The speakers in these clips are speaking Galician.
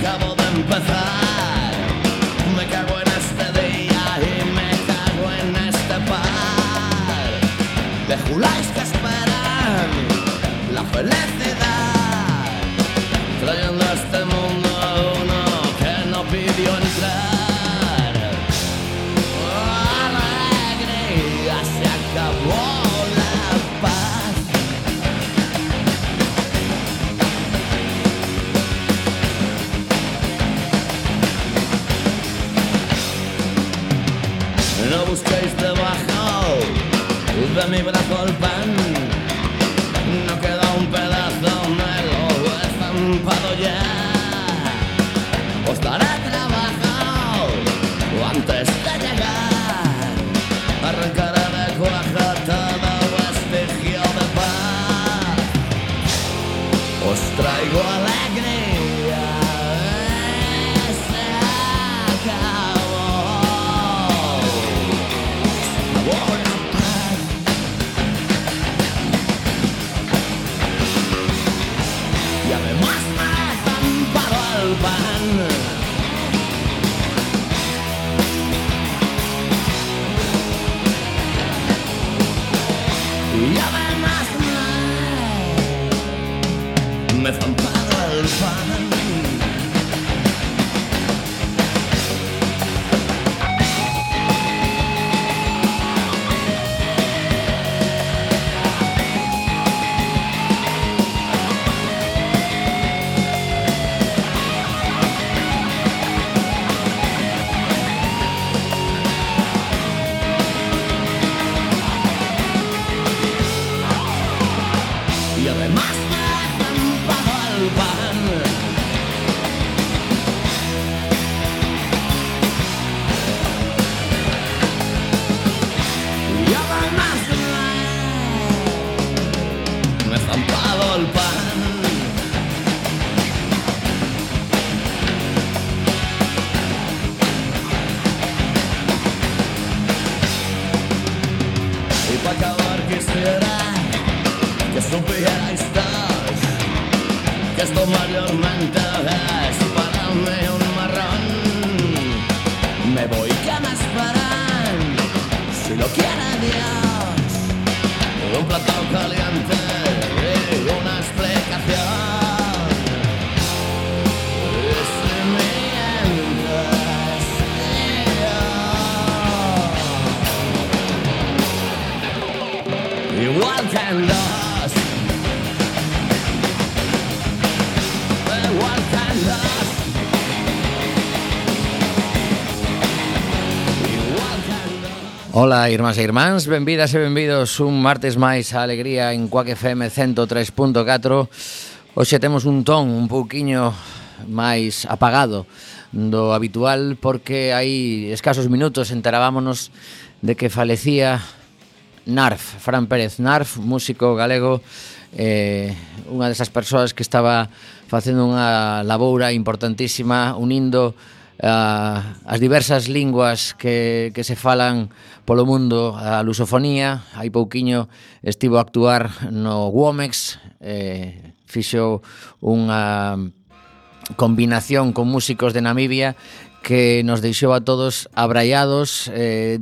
acabo de empezar. Me cago en este día y me cago en este par de juláis que esperan la felicidad, trayendo a este mundo a uno que no pidió entrar. Alegría, se acabó la paz. No busquéis debajo de mi brazo el pan, no queda un pedazo, me lo he zampado ya. Os daré trabajo antes de llegar, arrancaré de cuajo todo vestigio de paz. Os traigo alegría, se acabó. Y además me he zampado el pan. Y además me he zampado el pan. Y además me he zampado el pan. Y además me he zampado el pan. Y para acabar quisiera que supierais todos que esto mayormente es para mí un marrón. Me voy, que me esperan, si lo quiere Dios, un plato caliente y una explicación. Y si mientras yo, igual que en los Ola, irmáns e irmáns, benvidas e benvidos un martes máis a Alegría en Quack FM 103.4. Hoxe temos un ton un pouquiño máis apagado do habitual porque hai escasos minutos enterábamos de que falecía Narf, Fran Pérez Narf, músico galego, unha desas persoas que estaba facendo unha laboura importantísima unindo as diversas linguas que se falan polo mundo, a lusofonía. Hai pouquiño estivo a actuar no Womex, fixo unha combinación con músicos de Namibia que nos deixou a todos abraiados,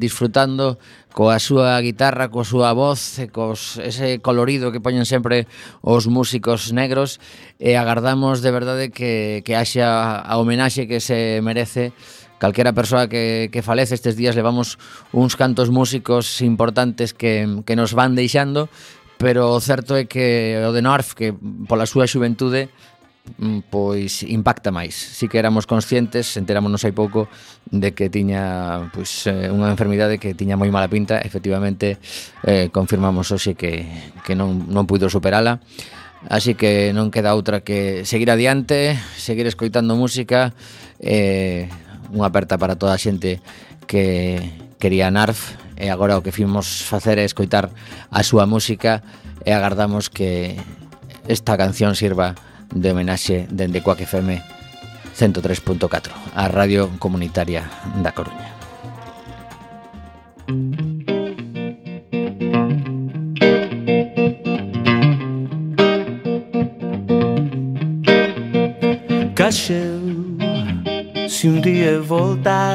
disfrutando coa súa guitarra, coa súa voz, ese colorido que poñen sempre os músicos negros, e agardamos de verdade que haxa a homenaxe que se merece calquera persoa que falece. Estes días levamos uns cantos músicos importantes que nos van deixando, pero o certo é que o de Narf, que pola súa xuventude pois impacta máis. Si que éramos conscientes, enterámonos hai pouco de que tiña pois unha enfermidade que tiña moi mala pinta. Efectivamente, confirmamos hoxe que non puido superala. Así que non queda outra que seguir adiante, seguir escoitando música. Unha aperta para toda a xente que quería Narf, e agora o que fimos facer é escoitar a súa música, e agardamos que esta canción sirva de homenaxe dende Quack FM 103.4, a radio comunitaria da Coruña. Caixeu se um dia voltar,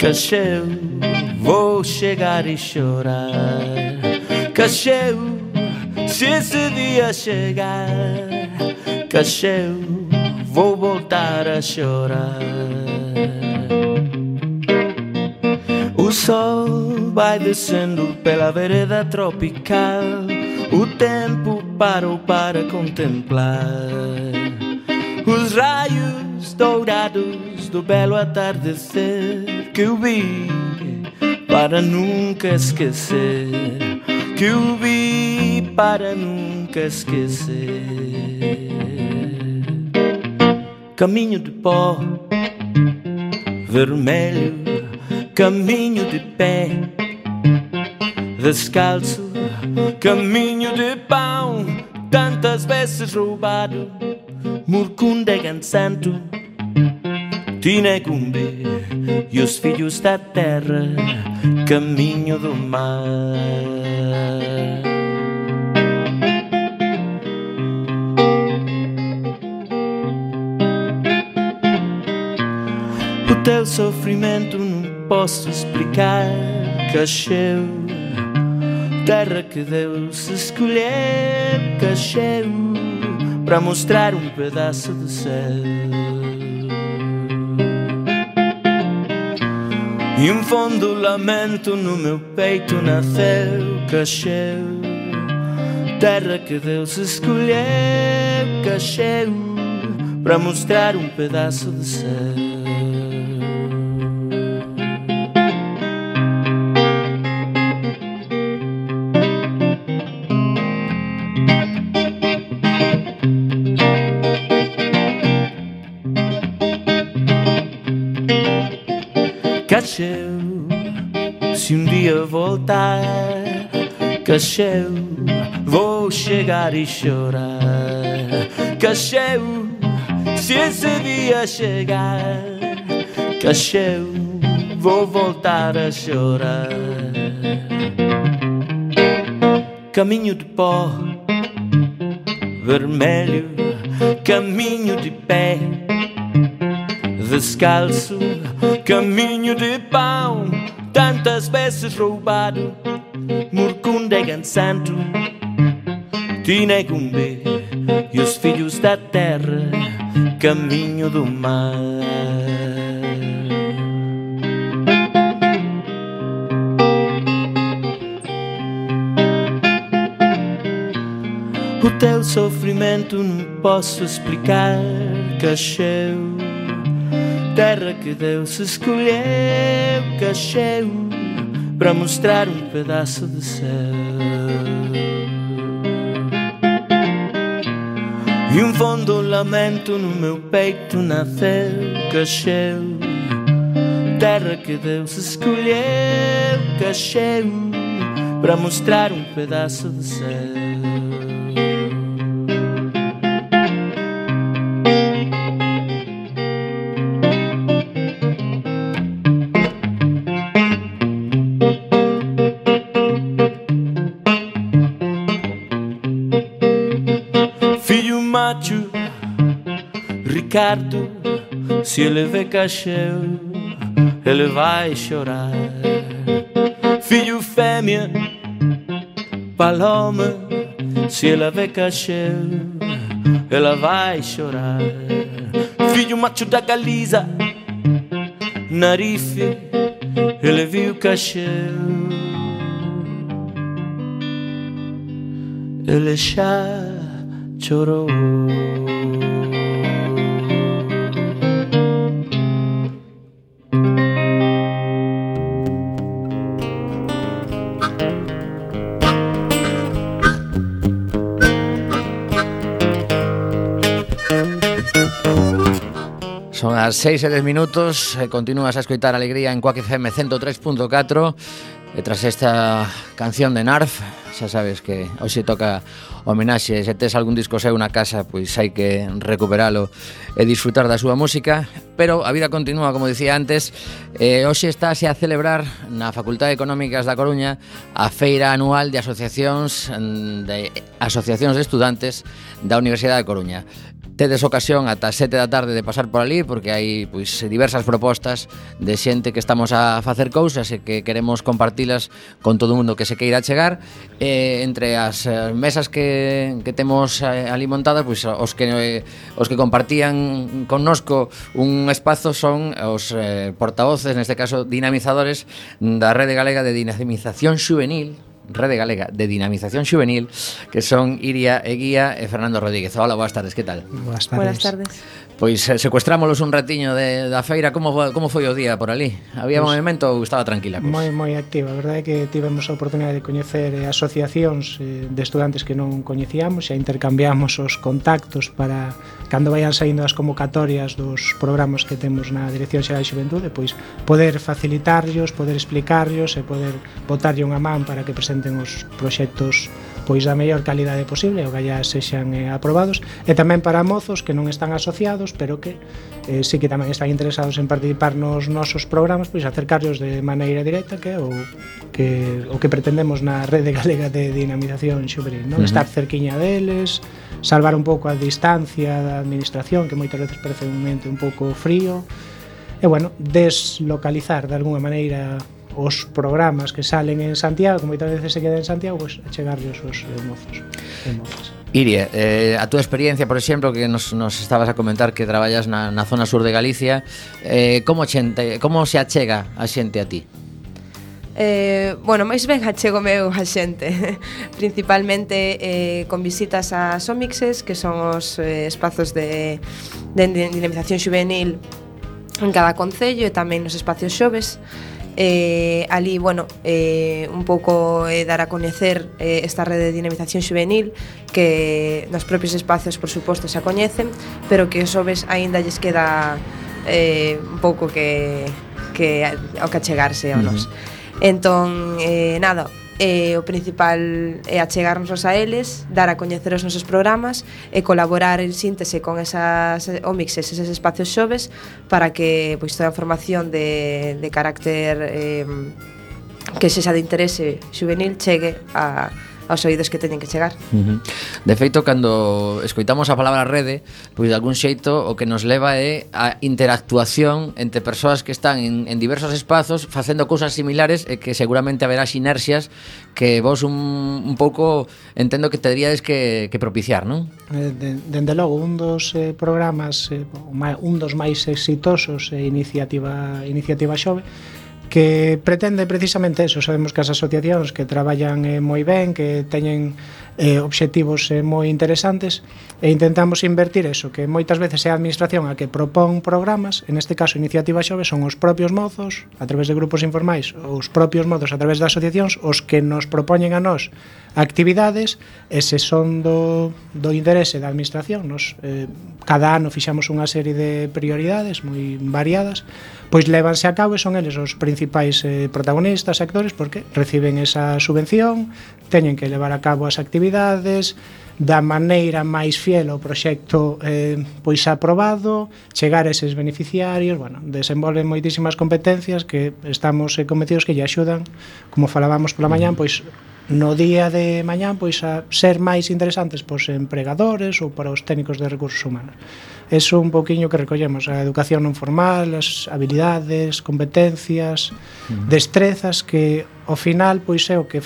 cacheu, vou chegar e chorar. Cacheu, se esse dia chegar, cacheu, vou voltar a chorar. O sol vai descendo pela vereda tropical, o tempo parou para contemplar os raios dourados do belo atardecer que eu vi para nunca esquecer, que eu vi para nunca esquecer. Caminho de pó vermelho, caminho de pé descalço, caminho de pão tantas vezes roubado, Murkundegan santo, Tinegumbe e os filhos da terra, caminho do mar. O teu sofrimento não posso explicar, cacheu, terra que Deus escolheu, cacheu, para mostrar um pedaço do céu. E um fundo lamento no meu peito nasceu, cacheu, terra que Deus escolheu, cacheu, para mostrar um pedaço do céu. Cacheu, se um dia voltar, cacheu, vou chegar e chorar. Cacheu, se esse dia chegar, cacheu, vou voltar a chorar. Caminho de pó vermelho, caminho de pé descalço, caminho de pão tantas vezes roubado, Murkundegan santo, Tinegumbe e os filhos da terra, caminho do mar. O teu sofrimento não posso explicar, cacheu, terra que Deus escolheu, cacheu, para mostrar um pedaço do céu. E um fundo lamento no meu peito nasceu, cacheu, terra que Deus escolheu, cacheu, para mostrar um pedaço do céu. Ricardo, se ele vê cacheu, ele vai chorar. Filho fêmea, Paloma, se ela vê cacheu, ela vai chorar. Filho macho da Galiza, Narife, ele viu cacheu, ele já chorou. Son as 6:10 minutos e continúas a escoitar Alegría en Quack FM 103.4. E tras esta canción de Narf, xa sabes que hoxe toca homenaxe. Se tes algún disco seu na casa, pois hai que recuperalo e disfrutar da súa música. Pero a vida continúa, como dicía antes. Hoxe estáse a celebrar na Facultade de Económicas da Coruña a feira anual de asociacións de estudantes da Universidade de Coruña. tedes ocasión ata 7 da tarde de pasar por ali, porque hai pois diversas propostas de xente que estamos a facer cousas e que queremos compartilas con todo o mundo que se queira chegar. Entre as mesas que temos ali montadas, pois os que compartían connosco un espazo son os portavoces, neste caso dinamizadores da Rede Galega de Dinamización Xuvenil, que son Iria Eguía e Fernando Rodríguez. Hola, boas tardes, que tal? Boas tardes. Buenas tardes. Pois secuestrámolos un ratiño da feira. Como foi o día por ali? Había movimento ou estaba tranquila? Moi activa. A verdade é que tivemos a oportunidade de coñecer asociacións de estudantes que non coñecíamos e intercambiamos os contactos para cando vayan saindo as convocatorias dos programas que temos na Dirección Xeral de Xuventude, pois poder facilitarllos, poder explicarllos e poder botarlle unha man para que presenten os proxectos pois da mellor calidade posible ou que allá sexan aprobados, e tamén para mozos que non están asociados pero que sí que tamén están interesados en participar nos nosos programas, pois acercarlos de maneira directa, que é o que pretendemos na Rede Galega de Dinamización Xuvenil, non? Estar cerquiña deles, salvar un pouco a distancia da administración, que moitas veces parece un ente un pouco frío, e bueno, deslocalizar de alguna maneira os programas que salen en Santiago, que moitas veces se quedan en Santiago, pois chegarlles os mozos e mozas. Iria, a túa experiencia, por exemplo, que nos estabas a comentar que traballas na zona sur de Galicia, como se achega a xente a ti? Bueno, máis ben achego meu a xente principalmente con visitas a Somixes, que son os espazos de dinamización xuvenil en cada concello, e tamén nos espacios xoves. Ali, bueno, un pouco dar a coñecer esta rede de dinamización xuvenil, que nos propios espacios, por suposto, se coñecen, pero que os xoves aínda lles queda un pouco que ao que achegarse a nós. Entón, nada, o principal é achegarnos a eles, dar a coñecer os nosos programas e colaborar en síntese con esas omixes, eses espacios xoves, para que pois toda a información de carácter que sexa de interese xuvenil chegue aos oídos que teñen que chegar. De feito, cando escoitamos a palabra rede, pois de algún xeito o que nos leva é a interactuación entre persoas que están en diversos espazos facendo cousas similares, e que seguramente haberá sinerxias que vos un pouco entendo que teríades que propiciar, non? Dende logo, un dos programas, un dos máis exitosos é Iniciativa Xove, que pretende precisamente eso. Sabemos que as asociacións que traballan moi ben, que teñen obxectivos moi interesantes, e intentamos invertir eso, que moitas veces é a administración a que propón programas. En este caso, Iniciativa Xove son os propios mozos a través de grupos informais, os propios mozos a través de asociacións os que nos propoñen a nós actividades, e se son do interese da administración, cada ano fixamos unha serie de prioridades moi variadas, pois lévanse a cabo, e son eles os principais protagonistas, actores, porque reciben esa subvención, teñen que levar a cabo as actividades da maneira máis fiel ao proxecto pois aprobado, chegar a eses beneficiarios. Bueno, desenvolven moitísimas competencias que estamos convencidos que lle axudan, como falábamos pola mañán, pois no día de mañán, pois a ser máis interesantes pos empregadores ou para os técnicos de recursos humanos. Eso un pouquiño que recollemos, a educación non formal, as habilidades, competencias, destrezas, que ao final pois é o que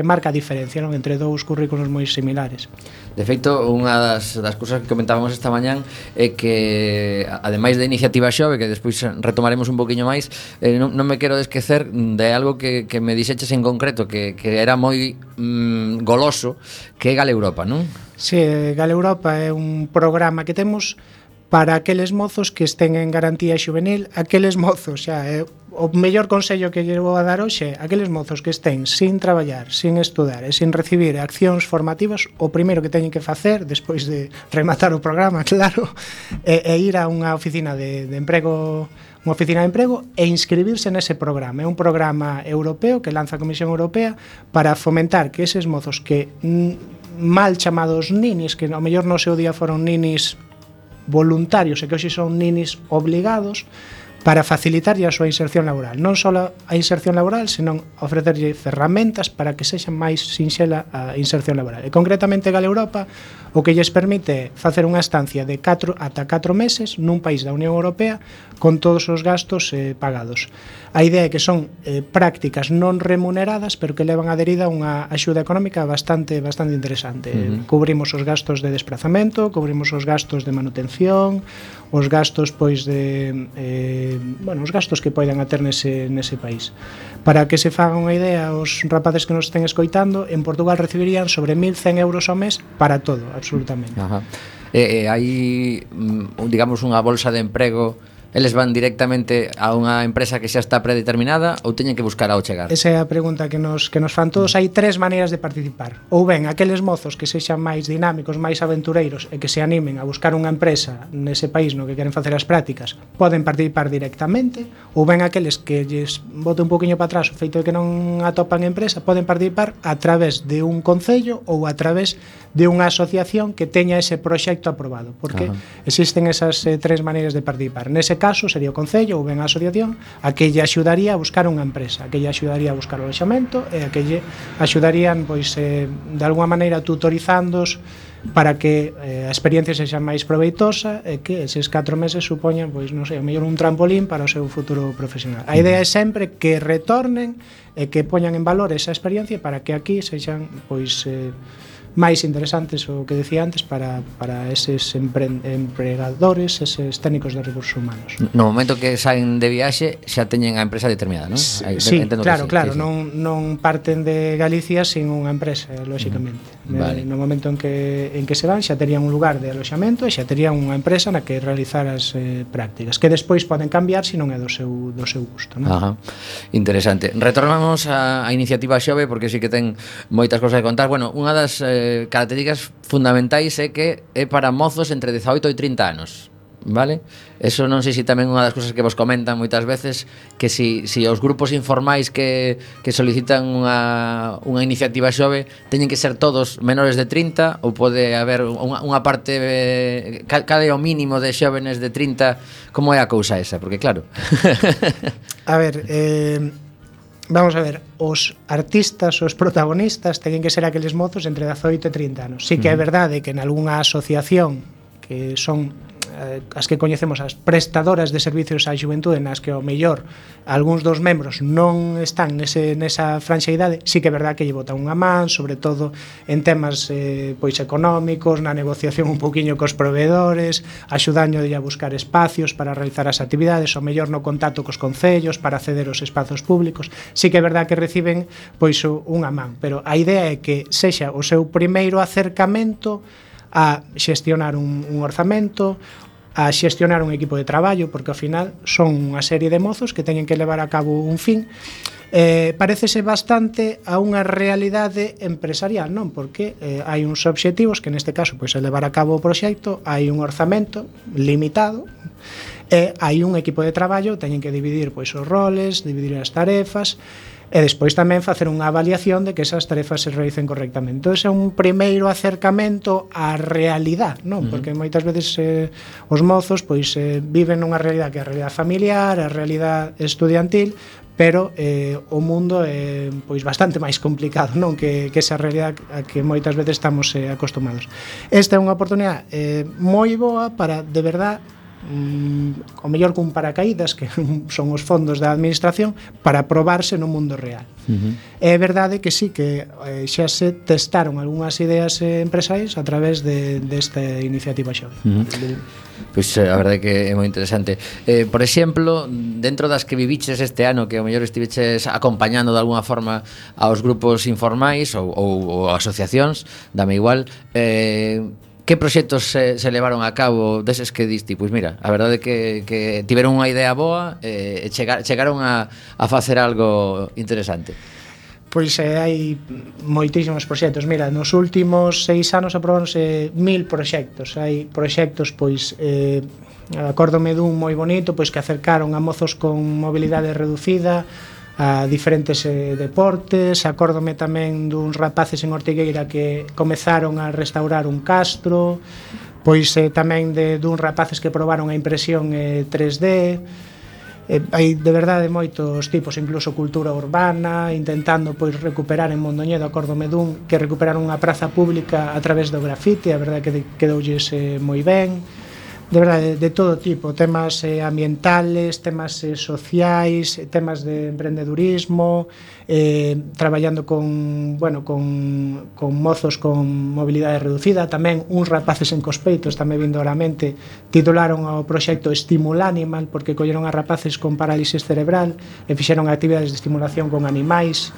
marca a diferencia, non, entre dous currículos moi similares. De feito, unha das cousas que comentábamos esta mañán é que, ademais da Iniciativa Xove, que despois retomaremos un poquinho máis, non me quero esquecer de algo que me dixeches en concreto, que era moi goloso, que é Gale Europa, non? Sí, Gale Europa é un programa que temos para aqueles mozos que estén en garantía xuvenil, aqueles mozos, xa, o mellor consello que lle vou a dar hoxe, aqueles mozos que estén sin traballar, sin estudar e sin recibir accións formativas, o primeiro que teñen que facer, despois de rematar o programa, claro, é ir a unha oficina de emprego, unha oficina de emprego, e inscribirse nese programa. É un programa europeo que lanza a Comisión Europea para fomentar que eses mozos que mal chamados ninis, que ao mellor no seu día foron ninis voluntarios e que hoxe son ninis obligados, para facilitarlle a súa inserción laboral. Non só a inserción laboral, senón ofrecerlle ferramentas para que sexa máis sinxela a inserción laboral. E concretamente Gale Europa o que lles permite facer unha estancia de 4 ata 4 meses nun país da Unión Europea con todos os gastos pagados. A idea é que son prácticas non remuneradas, pero que levan aderida unha axuda económica bastante interesante. Cubrimos os gastos de desplazamento, cubrimos os gastos de manutención, os gastos pois de os gastos que poidan a ter nese país. Para que se fagan unha idea os rapaces que nos estén escoitando, en Portugal recibirían sobre 1.100 euros ao mes para todo, absolutamente. Ajá. Hai, digamos, unha bolsa de emprego. Eles van directamente a unha empresa que xa está predeterminada ou teñen que buscar ao chegar? Esa é a pregunta que nos fan todos. Hai 3 maneiras de participar. Ou ben, aqueles mozos que sexan máis dinámicos, máis aventureiros e que se animen a buscar unha empresa nese país no que queren facer as prácticas, poden participar directamente. Ou ben, aqueles que lles bote un poquinho para atrás o feito de que non atopan empresa, poden participar a través de un concello ou a través de unha asociación que teña ese proxecto aprobado, porque existen esas 3 maneiras de participar. Nese caso sería o concello ou ben a asociación a que lle axudaría a buscar unha empresa, a que lle axudaría a buscar o alojamento e a que lle axudarían pois de alguma maneira tutorizándos para que a experiencia sexa máis proveitosa e que eses 4 meses supoñan, pois non sei, o mellor un trampolín para o seu futuro profesional. A idea é sempre que retornen e que poñan en valor esa experiencia para que aquí sexan pois máis interesantes, o que decía antes, para eses empregadores, eses técnicos de recursos humanos. No momento que saen de viaxe xa teñen a empresa determinada, non? Sí, claro, sí. Non parten de Galicia sin unha empresa, lóxicamente. Vale. No momento en que se van xa terían un lugar de aloxamento e xa terían unha empresa na que realizar as prácticas, que despois poden cambiar se non é do seu gusto, non? Ajá. Interesante. Retornamos á iniciativa Xove porque sí que ten moitas cousas que contar. Bueno, unha das características fundamentais é que é para mozos entre 18 e 30 anos, vale? Eso non sei se tamén unha das cousas que vos comentan moitas veces, que si os grupos informais que solicitan unha iniciativa Xove teñen que ser todos menores de 30 ou pode haber unha parte cada o mínimo de xóvenes de 30. Como é a cousa esa? Porque claro a ver, vamos a ver, os artistas, os protagonistas teñen que ser aqueles mozos entre 18 e 30 anos. Sí que é verdade que en algunha asociación que son as que coñecemos as prestadoras de servicios á xuventude, nas que ao mellor algúns dos membros non están nesa franxa idade, sí que é verdade que lle botan unha man, sobre todo en temas pois económicos, na negociación un poquinho cos proveedores, axudando a buscar espacios para realizar as actividades, ao mellor no contacto cos concellos para acceder aos espazos públicos. Sí que é verdade que reciben pois unha man, pero a idea é que sexa o seu primeiro acercamento a xestionar un orzamento, a xestionar un equipo de traballo, porque ao final son unha serie de mozos que teñen que levar a cabo un fin. Parécese bastante a unha realidade empresarial, non? Porque hai uns obxectivos que neste caso pois é levar a cabo o proxecto, hai un orzamento limitado e hai un equipo de traballo, teñen que dividir pois os roles, dividir as tarefas e despois tamén facer unha avaliación de que esas tarefas se realicen correctamente. Entón, é un primeiro acercamento á realidade, non? Porque moitas veces os mozos pois viven nunha realidade que é a realidade familiar, a realidade estudiantil, pero o mundo é pois bastante máis complicado, non? Que esa realidade a que moitas veces estamos acostumados. Esta é unha oportunidade moi boa para, de verdade, o mellor cun paracaídas, que son os fondos da administración, para probarse no mundo real. É verdade que sí, que xa se testaron algunhas ideas empresariais a través desta iniciativa Xove. Pois a verdade que é moi interesante. Por exemplo, dentro das que viviches este ano, que ao mellor estiveches acompañando de alguna forma aos grupos informais ou asociacións, dame igual, que proxectos se levaron a cabo deses que diste? Pois mira, a verdade é que tiveron unha idea boa e chegaron a facer algo interesante. Pois hai moitísimos proxectos. Mira, nos últimos 6 anos aprobáronse 1000 proxectos. Hai proxectos, pois, acórdome dun moi bonito, pois que acercaron a mozos con mobilidade reducida a diferentes deportes. Acórdome tamén duns rapaces en Ortigueira que comezaron a restaurar un castro, pois tamén duns rapaces que probaron a impresión 3D. hai de verdade moitos tipos, incluso cultura urbana, intentando pois recuperar en Mondoñedo, acórdome dun que recuperaron unha praza pública a través do grafite, a verdade que quedoulles moi ben. De verdade, de todo tipo, temas ambientales, temas sociais, temas de emprendedurismo, traballando con mozos con mobilidade reducida, tamén uns rapaces en Cospeitos, tamén vindo a mente, titularon o proxecto Estimulanimal, porque colleron a rapaces con parálisis cerebral e fixeron actividades de estimulación con animais.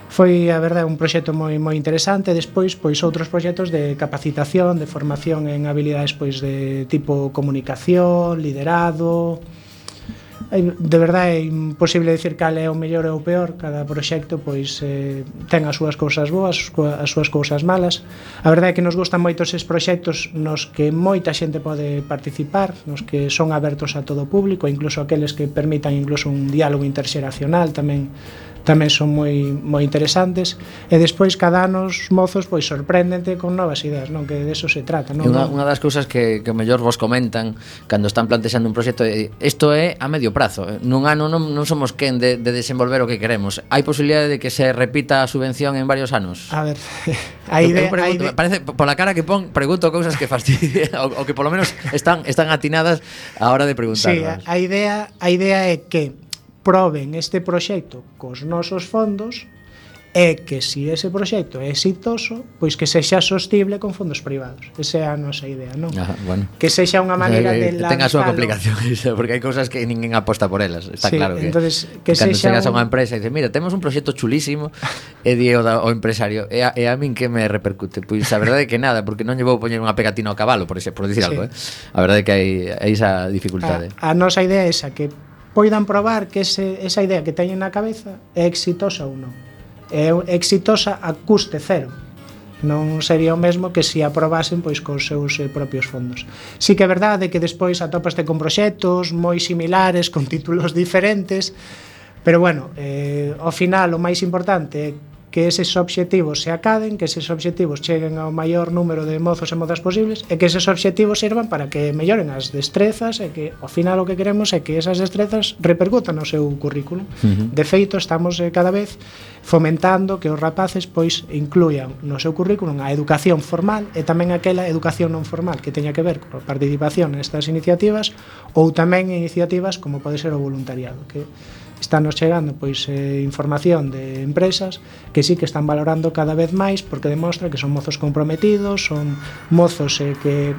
Foi, a verdade, un proxecto moi interesante. Despois, pois outros proxectos de capacitación, de formación en habilidades pois de tipo comunicación, liderado. De verdade é imposible dicir cal é o mellor e o peor. Cada proxecto pois ten as súas cousas boas, as súas cousas malas. A verdade é que nos gustan moito eses proxectos nos que moita xente pode participar, nos que son abertos a todo o público, incluso aqueles que permitan incluso un diálogo interxeracional tamén son moi interesantes. E despois cada ano os mozos pois sorpréndente con novas ideas, non, que de eso se trata, non? Unha das cousas que mellor vos comentan cando están plantexando un proxecto é isto é a medio prazo. Nun ano non somos quen de desenvolver o que queremos. Hai posibilidade de que se repita a subvención en varios anos? A ver, a idea, parece, pola cara que pon, pregunto cousas que fastidian o que polo menos están atinadas a hora de preguntar. Sí, a idea é que proben este proxecto cos nosos fondos e que se ese proxecto é exitoso, pois que sexa sostible con fondos privados. Esa é a nosa idea, non? Bueno. Que sexa unha maneira de lanzalo. Ten a súa complicación, porque hai cousas que ninguén aposta por elas. Está claro que entonces, que cando sexa chegas a unha empresa e dices, mira, temos un proxecto chulísimo, e di o empresario, e a min que me repercute? Pois a verdade é que nada, porque non lle vou poñer unha pegatina ao cabalo, por dicir algo, A verdade é que hai esa dificultade. A nosa idea é esa, que poidan probar que esa idea que teñen na cabeza é exitosa ou non. É exitosa a custe cero. Non sería o mesmo que se aprobasen pois cos seus propios fondos. Sí que é verdade que despois atopaste con proxectos moi similares, con títulos diferentes, pero bueno, ao final o máis importante é que eses obxectivos se acaden, que eses obxectivos cheguen ao maior número de mozos e mozas posibles e que eses obxectivos sirvan para que melloren as destrezas e que ao final o que queremos é que esas destrezas repercutan no seu currículo. De feito, estamos cada vez fomentando que os rapaces pois incluyan no seu currículum a educación formal e tamén aquela educación non formal que teña que ver coa participación nestas iniciativas ou tamén iniciativas como pode ser o voluntariado, que Estános chegando pois información de empresas que sí que están valorando cada vez máis porque demostra que son mozos comprometidos, son mozos que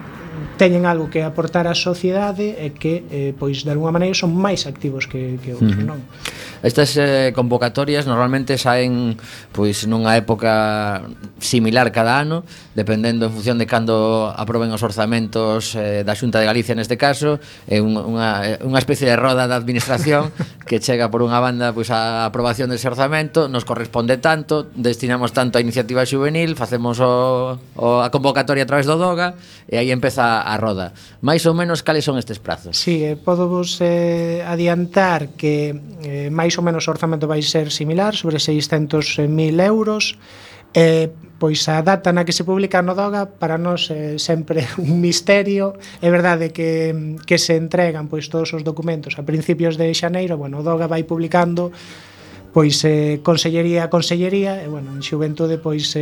teñen algo que aportar á sociedade e que pois de alguma maneira son máis activos que outros, non? Estas convocatorias normalmente saen pois nunha época similar cada ano, dependendo en función de cando aproben os orzamentos da Xunta de Galicia neste caso, é unha especie de roda da administración que chega por unha banda pois a aprobación dese orzamento, nos corresponde tanto, destinamos tanto a iniciativa juvenil, facemos a convocatoria a través do DOGA e aí empeza a roda. Mais ou menos cales son estes prazos? Sí, podo vos adiantar que máis ou menos o orzamento vai ser similar, sobre 600.000 euros. Pois a data na que se publica no DOGA para nós é sempre un misterio. É verdade que se entregan pois todos os documentos a principios de xaneiro. Bueno, o DOGA vai publicando pois consellería a consellería e bueno, en xuventude pois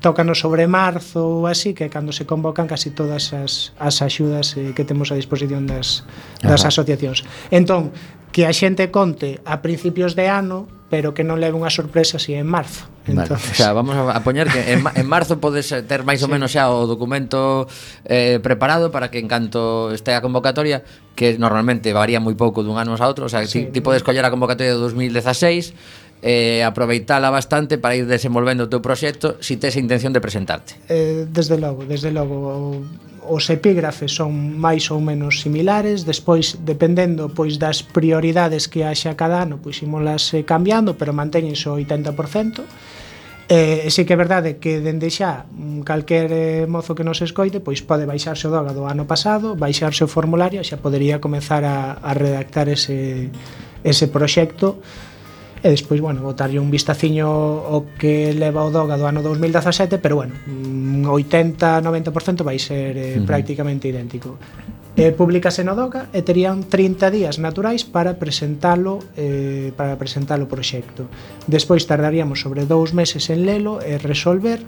tócanos sobre marzo ou así, que é cando se convocan casi todas as axudas que temos a disposición das asociacións. Entón, que a xente conte a principios de ano, pero que non leve unha sorpresa si en marzo. Entonces... Vale. O sea, vamos a poñer que en marzo podes ter máis ou menos xa o documento preparado para que en canto este a convocatoria, que normalmente varía moi pouco dun ano a outro, o sea, ti podes coller a convocatoria de 2016 aproveitala bastante para ir desenvolvendo o teu proxecto si tes a intención de presentarte. Desde logo, os epígrafes son máis ou menos similares, despois dependendo pois das prioridades que haxa cada ano, pois ímolas cambiando, pero mantéñense o 80%. Sí que é verdade que dende xa calquer mozo que nos escoite pois pode baixarse o DOGA do ano pasado, baixarse o formulario e xa podería comezar a redactar ese proxecto. E despois, bueno, botarlle un vistaciño o que leva o DOGA do ano 2017, pero bueno, 80-90% vai ser prácticamente idéntico. Públicase no DOCA e terían 30 días naturais para presentalo o proxecto. Despois tardaríamos sobre 2 meses en lelo e resolver.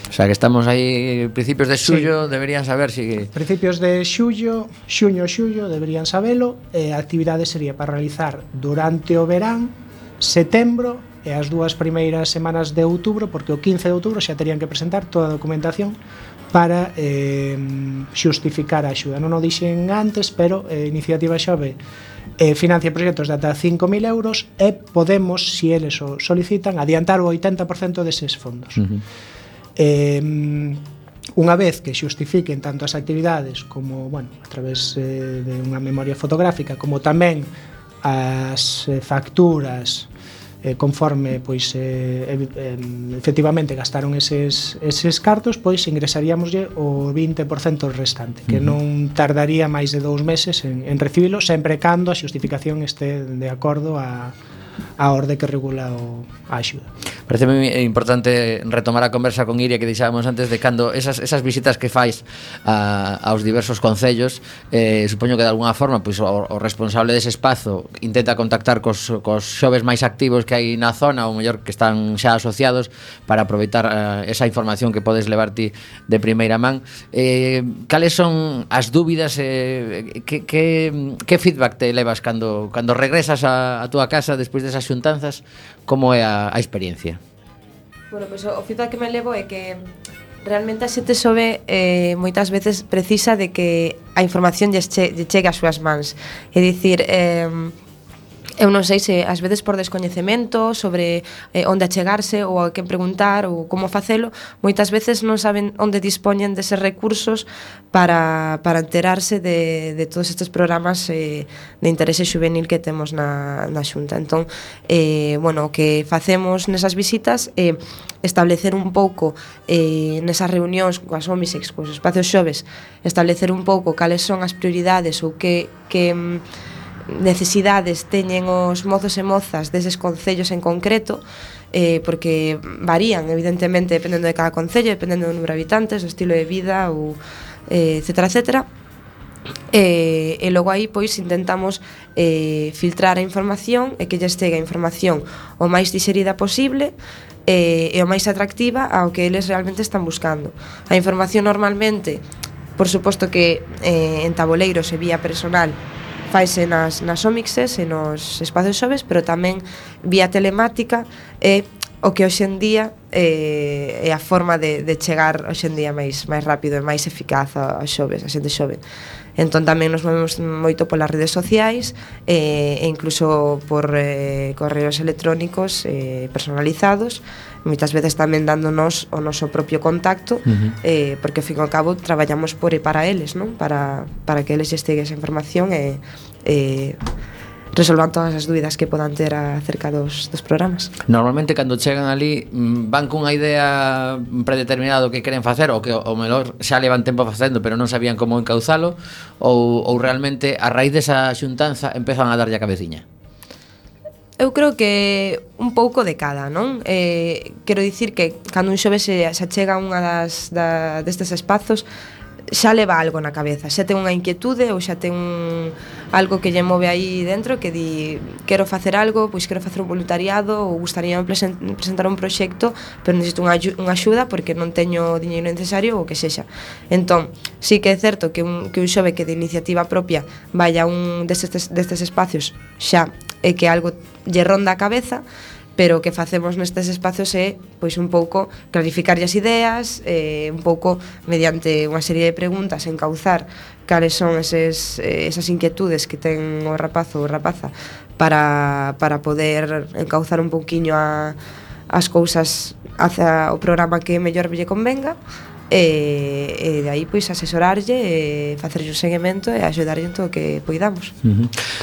O sea, que estamos aí principios de xullo, deberían saber si... Principios de xullo, xullo, deberían sabelo. A actividade sería para realizar durante o verán, setembro e as 2 primeiras semanas de outubro, porque o 15 de outubro xa terían que presentar toda a documentación para xustificar a axuda. Non o dixen antes, pero Iniciativa Xove financia proxectos de ata 5.000 euros e podemos, se eles o solicitan, adiantar o 80% deses fondos. Unha vez que xustifiquen tanto as actividades como, bueno, a través de unha memoria fotográfica, como tamén as facturas conforme pois efectivamente gastaron eses cartos, pois ingresaríamoslle o 20% restante, que non tardaría máis de 2 meses en recibilo, sempre cando a xustificación este de acordo a orde que regula a axuda. Parece moi importante retomar a conversa con Iria que deixábamos antes de cando esas visitas que fais aos diversos concellos, supoño que de alguna forma pois, o responsable dese espazo intenta contactar cos xoves máis activos que hai na zona, ou mellor que están xa asociados, para aproveitar esa información que podes levar ti de primeira man. Cales son as dúbidas, que feedback te levas cando regresas a túa casa despois desas xuntanzas? Como é a experiencia? Bueno, pois o feedback que me levo é que realmente a xente xove moitas veces precisa de que a información lle chegue ás súas mans. É dicir, eu non sei se ás veces por descoñecemento sobre onde achegarse ou a quen preguntar ou como facelo, moitas veces non saben onde dispoñen deses recursos para enterarse de todos estes programas de interese xuvenil que temos na Xunta. Entón, bueno, o que facemos nesas visitas é establecer un pouco nesas reunións coas OMISEX, coas espacios xoves, establecer un pouco cales son as prioridades ou que necesidades teñen os mozos e mozas deses concellos en concreto, porque varían evidentemente dependendo de cada concello, dependendo do número de habitantes, do estilo de vida ou etcétera, etcétera. E logo aí pois intentamos filtrar a información e que lles chegue a información o máis digerida posible e o máis atractiva ao que eles realmente están buscando. A información normalmente, por suposto que en taboleiros e vía personal, faise nas OMIXes e nos espacios xoves, pero tamén vía telemática e o que hoxe en día é a forma de chegar hoxe en día máis rápido e máis eficaz aos xoves, a xente xove. Entón tamén nos movemos moito polas redes sociais e incluso por correos electrónicos personalizados, moitas veces tamén dándonos o noso propio contacto, porque ao fin e ao cabo traballamos por e para eles, non? Para que eles estegue esa información e resolvan todas as dúbidas que podan ter acerca dos programas. Normalmente cando chegan ali van cunha idea predeterminada do que queren facer, ou que o mellor xa levan tempo facendo pero non sabían como encauzalo, ou realmente a raíz desa xuntanza empezan a darlle a cabeciña? Eu creo que un pouco de cada, non? Quero dicir que cando un xove se achega a unha destes espazos, xa leva algo na cabeza, xa ten unha inquietude ou xa ten algo que lle move aí dentro, que di, quero facer algo, pois quero facer un voluntariado ou gustaría presentar un proxecto, pero necesito unha axuda porque non teño o diñeiro necesario ou que sexa. Entón, sí que é certo que un xove que de iniciativa propia vaya a un destes espacios xa é que algo lle ronda a cabeza, pero o que facemos nestes espacios é pois un pouco clarificarlle as ideas, un pouco mediante unha serie de preguntas encauzar cales son esas inquietudes que ten o rapazo ou rapaza para poder encauzar un pouquiño as cousas hacia o programa que mellor lle convenga. E de aí pois asesorarlle e facerlle un seguimento e axudarlle en todo o que poidamos.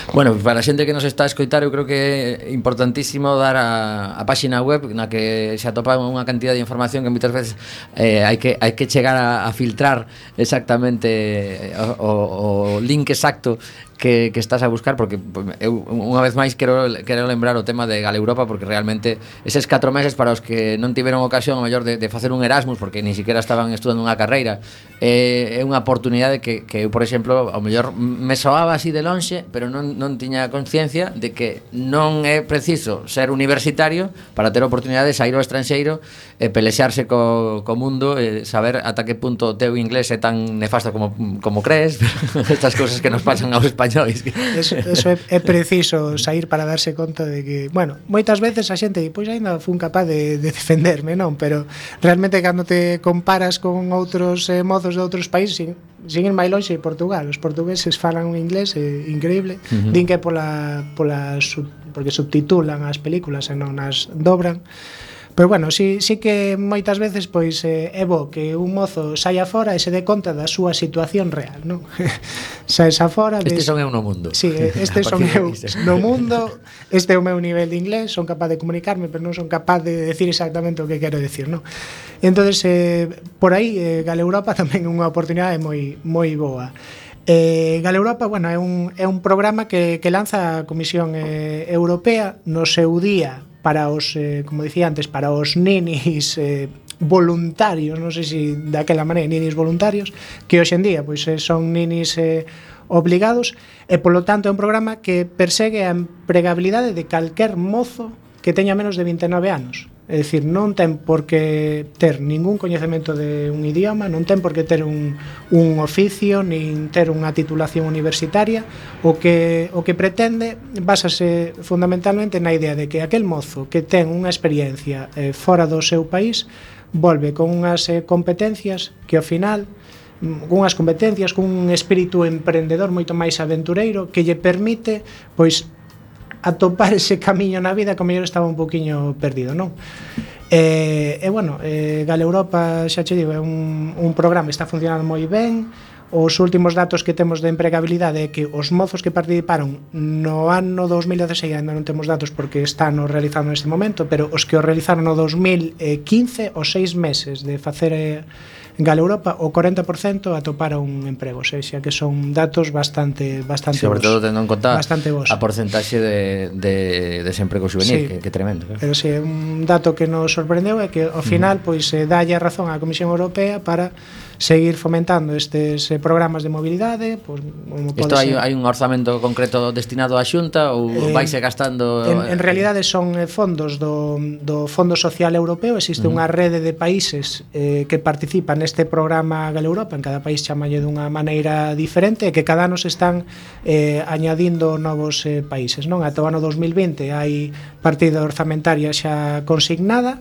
Bueno, para a xente que nos está a escoitar, eu creo que é importantísimo dar a páxina web na que se atopa unha cantidad de información que moitas veces hai que chegar a filtrar exactamente o link exacto que estás a buscar, porque eu unha vez máis quero lembrar o tema de Galeuropa, porque realmente eses 4 meses para os que non tiveron ocasión a mellor de facer un Erasmus, porque ni siquiera estaban estudando unha carreira, é unha oportunidade que eu, por exemplo, ao mellor me soaba así de lonxe, pero non tiña conciencia de que non é preciso ser universitario para ter a oportunidade de sair ao estranxeiro e pelexarse co mundo, e saber ata que punto o teu inglés é tan nefasto como crees. Estas cousas que nos pasan aos españoles. Eso é preciso sair para darse conta de que, bueno, moitas veces a xente pois aínda fun capaz de defenderme, non? Pero realmente cando te comparas con outros mozos de outros países, sin ir máis lonxe, Portugal, os portugueses falan un inglés increíble, din que porque subtitulan as películas e non as dobran. Pero bueno, sí que moitas veces pois é bo que un mozo saia fora e se dé conta da súa situación real, non? Saes afora, este son eu no mundo. Sí, este son eu no mundo, este é o meu nivel de inglés, son capaz de comunicarme, pero non son capaz de decir exactamente o que quero decir, non? E entonces por aí Galeuropa tamén é unha oportunidade moi boa. Galeuropa, bueno, é un programa que lanza a Comisión Europea no seu día para os, como dicía antes, para os ninis voluntarios, non sei se daquela maneira, ninis voluntarios, que hoxe en día pois son ninis obligados, e polo tanto é un programa que persegue a empregabilidade de calquer mozo que teña menos de 29 anos. É dicir, non ten por que ter ningún coñecemento de un idioma, non ten por que ter un oficio, nin ter unha titulación universitaria. O que pretende básase fundamentalmente na idea de que aquel mozo que ten unha experiencia fora do seu país volve con unhas competencias que ao final, unhas competencias, cun espírito emprendedor moito máis aventureiro, que lle permite pois atopar ese camiño na vida que ao mellor estaba un poquinho perdido, non? Bueno, Galeuropa, xa che digo, é un programa que está funcionando moi ben. Os últimos datos que temos de empregabilidade é que os mozos que participaron no ano 2016, ainda non temos datos porque están o realizando neste momento, pero os que o realizaron no 2015, os 6 meses de facer Galeuropa, o 40% atoparon un emprego, ou seja, que son datos bastante sobre todo tendo en conta a porcentaxe de desemprego juvenil, sí, que tremendo, claro. Pero sí, un dato que nos sorprendeu é que ao final pois dalle a razón á Comisión Europea para seguir fomentando estes programas de mobilidade, pois como isto hai un orzamento concreto destinado á Xunta ou vaise gastando? En realidade son fondos do Fondo Social Europeo. Existe unha rede de países que participan neste programa Galeuropa. En cada país chamalle dunha maneira diferente, e que cada ano se están añadindo novos países, non? Ata o ano 2020 hai partida orzamentaria xa consignada.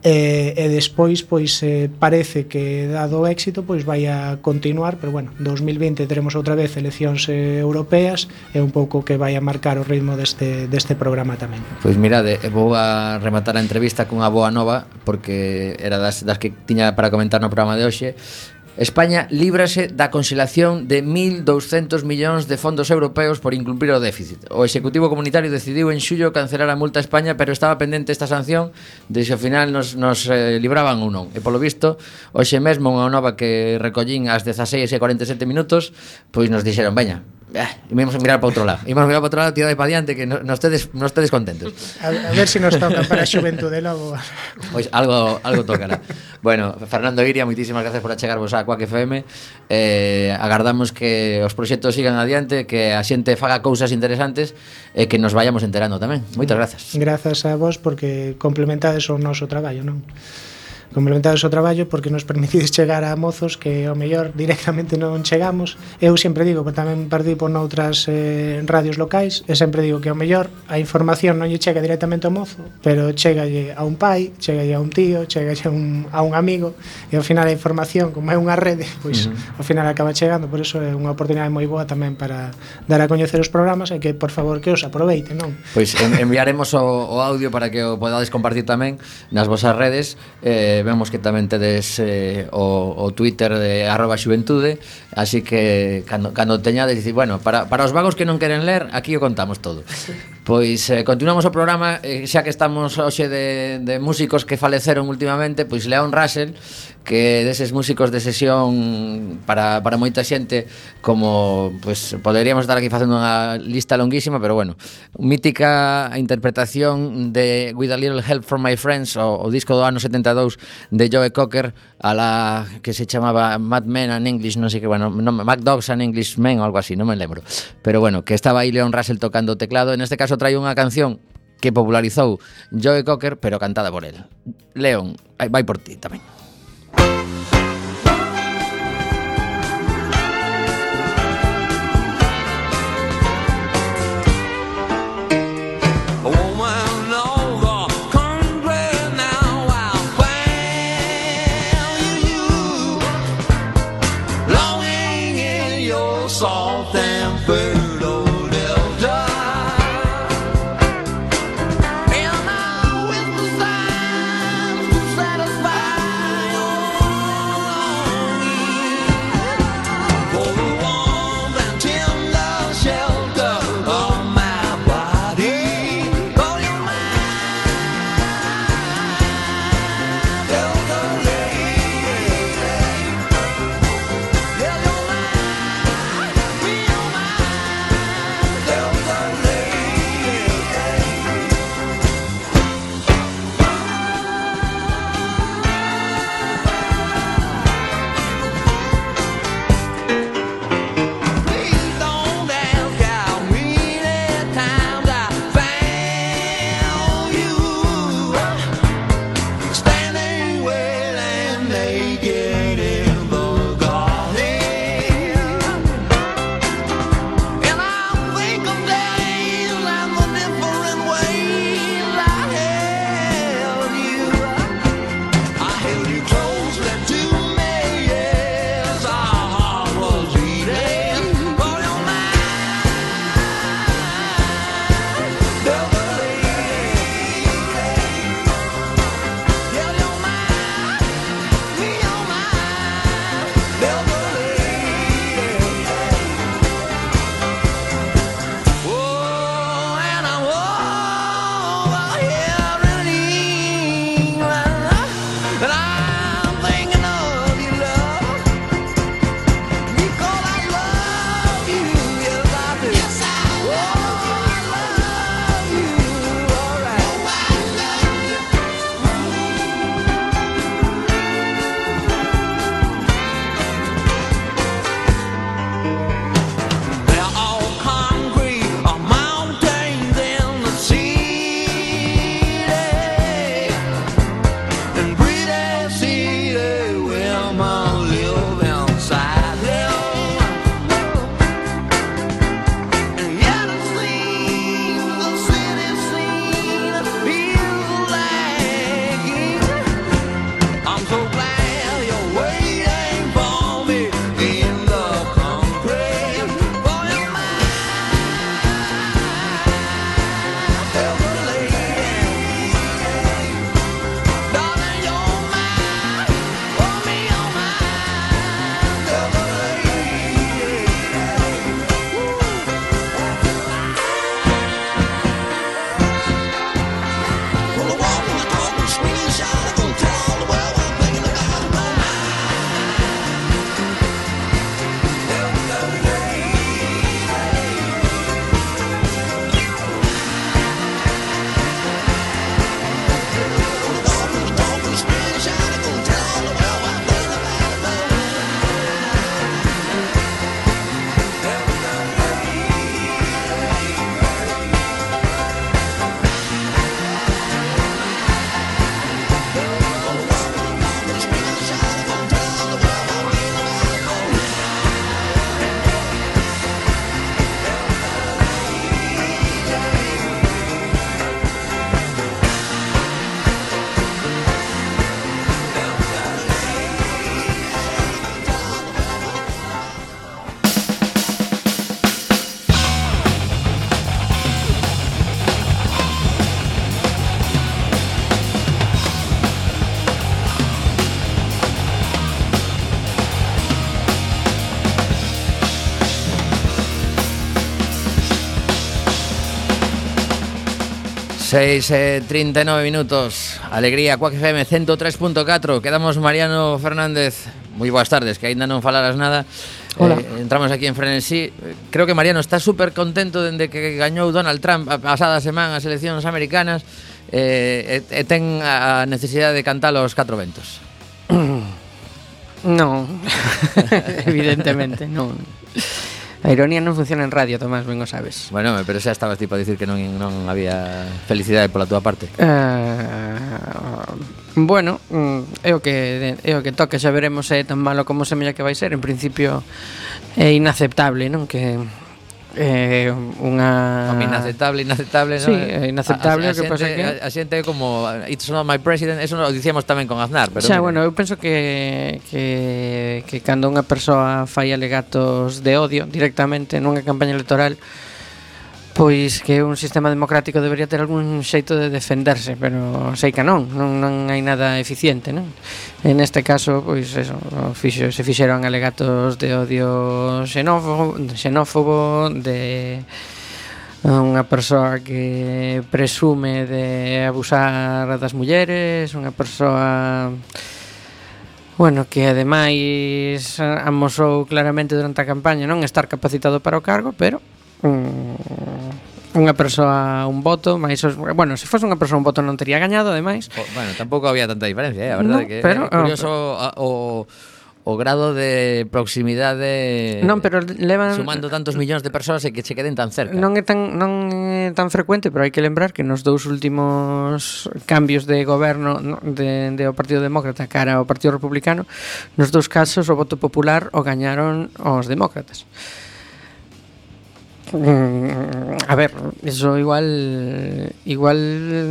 E despois pois parece que dado o éxito pois vai a continuar, pero bueno, 2020 teremos outra vez eleccións europeas, e un pouco que vai a marcar o ritmo deste programa tamén. Pois mirade, vou a rematar a entrevista cunha boa nova, porque era das que tiña para comentar no programa de hoxe. España líbrase da conxelación de 1.200 millóns de fondos europeos por incumprir o déficit. O Executivo Comunitario decidiu en xullo cancelar a multa a España, pero estaba pendente esta sanción de se ao final nos libraban ou non. E polo visto, hoxe mesmo unha nova que recollín ás 16:47 minutos, pois nos dixeron, veña, íbamos a mirar para outro lado. Íbamos a mirar para outro lado, tirade para diante, que non estedes contentos. A ver se nos toca para a xuventude logo. Pois algo tocará. Bueno, Fernando Iria, moitísimas gracias por achegarvos a Quack FM. Agardamos que os proxectos sigan adiante, que a xente faga cousas interesantes e que nos vayamos enterando tamén. Moitas grazas. Grazas a vos porque complementades o noso traballo, non? Complementades o traballo porque nos permitides chegar a mozos que ao mellor directamente non chegamos. Eu sempre digo, porque tamén participo noutras radios locais, e sempre digo que ao mellor a información non lle chega directamente ao mozo, pero chegalle a un pai, chegalle a un tío, chegalle a un amigo, e ao final a información, como é unha rede, pois ao final acaba chegando. Por iso é unha oportunidade moi boa tamén para dar a coñecer os programas, e que por favor que os aproveiten, non? Pois enviaremos o audio para que o podades compartir tamén nas vosas redes. Vemos que tamén tedes o Twitter de @xuventude, así que cando teñades dicir, bueno, para os vagos que non queren ler, aquí o contamos todo. Pois continuamos o programa, xa que estamos hoxe de músicos que faleceron últimamente, pois Leon Russell, que deses músicos de sesión para moita xente, como pois poderíamos estar aquí facendo unha lista longuísima, pero bueno, mítica interpretación de With a Little Help from My Friends, o disco do ano 72 de Joe Cocker, a la que se chamaba Mad Men and English, non sei que, bueno, Mad Dogs and English Men ou algo así, non me lembro, pero bueno, que estaba aí Leon Russell tocando o teclado. En este caso trae unha canción que popularizou Joe Cocker, pero cantada por él. Leon, vai por ti tamén. Salt and fertile delta, and I with the signs to satisfy your longing for the warmth and tender shelter of my body. Call your mind, delta lady, tell your mind. 6:39 minutos. Alegría, Quack FM 103.4. Quedamos Mariano Fernández. Moi boas tardes, que aínda non falaras nada. Hola. Entramos aquí en Frenesí. Creo que Mariano está súper contento dende que gañou Donald Trump a pasada semana as eleccións americanas. Ten a necesidade de cantar os 4 ventos. Non, evidentemente non. A ironía non funciona en radio, Tomás, ben o sabes. Bueno, pero xa estabas tipo a dicir que non había felicidade pola túa parte. Bueno, é o que toca, xa veremos se é tan malo como semella que vai ser. En principio é inaceptable, non? Que unha inaceptable, sí, ¿no? inaceptable, o que pasa que a xente é como it's not my president, eso lo dicíamos tamén con Aznar, pero xa, bueno, eu penso que cando unha persoa fai alegatos de odio directamente nunha campaña electoral, pois que un sistema democrático debería ter algún xeito de defenderse, pero sei que non hai nada eficiente, non? En este caso, pois eso, se fixeron alegatos de odio xenófobo, de unha persoa que presume de abusar das mulleres, unha persoa, bueno, que ademais amosou claramente durante a campaña non estar capacitado para o cargo, pero unha persoa un voto, máis bueno, se fose unha persoa un voto non tería gañado, ademais. Bueno, tampouco había tanta diferencia, a verdade, no, que pero, é curioso o grado de proximidade. Non, pero levan sumando tantos millóns de persoas e que che queden tan cerca. Non é tan frecuente, pero hai que lembrar que nos dous últimos cambios de goberno de o Partido Demócrata cara ao Partido Republicano, nos dous casos o voto popular o gañaron os demócratas. A ver, eso igual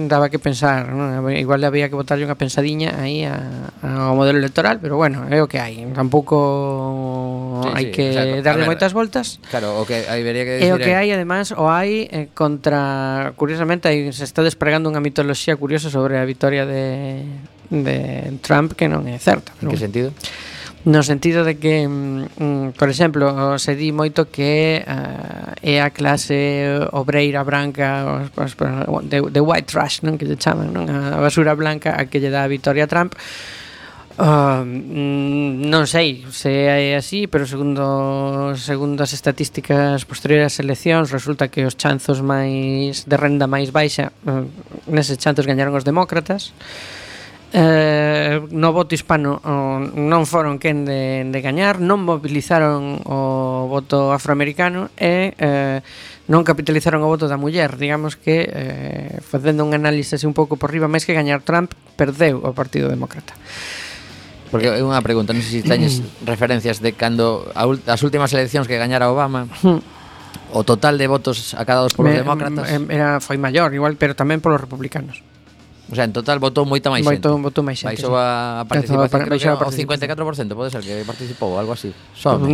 daba que pensar, ¿no? Igual había que botarlle unha pensadinha aí ao modelo electoral, pero bueno, é o que hai. Tampouco hai que darle moitas voltas. Claro, o que hai vería que decir é o que hai, además, o hai contra, curiosamente, se está despregando unha mitoloxía curiosa sobre a vitoria de Trump que non é certa. En que sentido? No sentido de que, por exemplo, se di moito que é a clase obreira branca, de white trash, non, que lle chaman, non, a basura blanca a que lle dá a vitoria a Trump. Non sei se é así, pero segundo as estatísticas posteriores ás eleccións, resulta que os chanzos máis de renda máis baixa, neses chanzos gañaron os demócratas. No voto hispano non foron quen de gañar, non mobilizaron o voto afroamericano e non capitalizaron o voto da muller. Digamos que facendo un análise así un pouco por riba, máis que gañar Trump, perdeu o Partido Demócrata. Porque é unha pregunta, non sei se teñes referencias de cando as últimas eleccións que gañara Obama, o total de votos acadados polos demócratas foi maior, igual, pero tamén polos republicanos. O sea, en total votou moita máis xente. Votou máis xente. Baixou a participación, creo que o 54%, pode ser que participou, algo así.